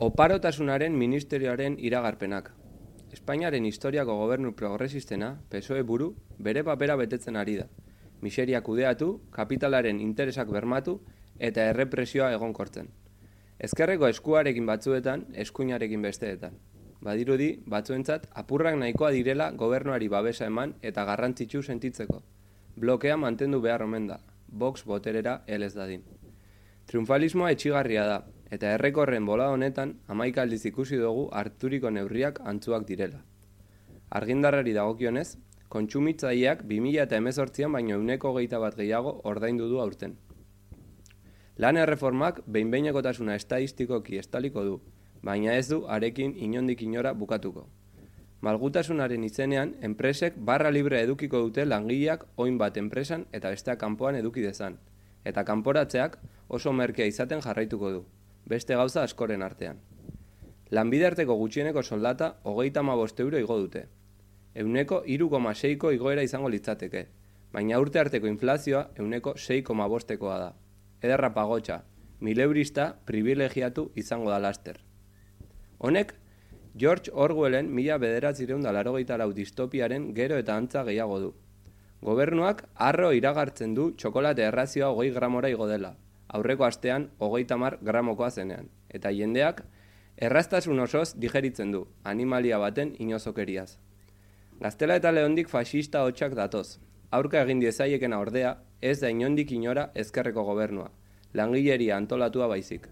Oparotasunaren ministerioaren iragarpenak. Espainiaren historiako gobernu progresistena, PSOE buru, bere papera betetzen ari da. Miseria kudeatu, kapitalaren interesak bermatu eta errepresioa egonkortzen. Ezkerreko eskuarekin batzuetan, eskuinarekin besteetan. Badirudi, batzuentzat, apurrak nahikoa direla gobernuari babesa eman eta garrantzitsu sentitzeko. Blokea mantendu behar omen da, Vox boterera helez dadin. Triunfalismoa etxigarria da, eta errekorren bola honetan 11 aldiz ikusi dugu harturiko neurriak antzuak direla. Argindarrari dagokionez, kontsumitzaileak 2018an baino 121 gehiago ordaindu du aurten. Lan erreformak behin-behinekotasuna estadistikoki estaliko du, baina ez du arekin inondik inora bukatuko. Malgutasunaren izenean, enpresek barra libre edukiko dute langileak oin bat enpresan eta besteak kanpoan eduki dezan, eta kanporatzeak oso merkea izaten jarraituko du, beste gauza askoren artean. Lanbide arteko gutxieneko soldata 35 euro igo dute. 3,6ko igoera izango litzateke, baina urte arteko inflazioa 6,5koa da. Ederra pagotxa, 1000 eurista privilegiatu izango da laster. Honek, George Orwellen 1984 distopiaren gero eta antza gehiago du. Gobernuak harro iragartzen du txokolate errazioa 20 gramora igo dela, aurreko astean 30 gramokoa zenean, eta jendeak erraztasun osoz digeritzen du, animalia baten inozokeriaz. Gaztela eta Leondik faxista hotxak datoz. Aurka egin diezaiekena ordea, ez da inondik inora ezkerreko gobernua, langileria antolatua baizik.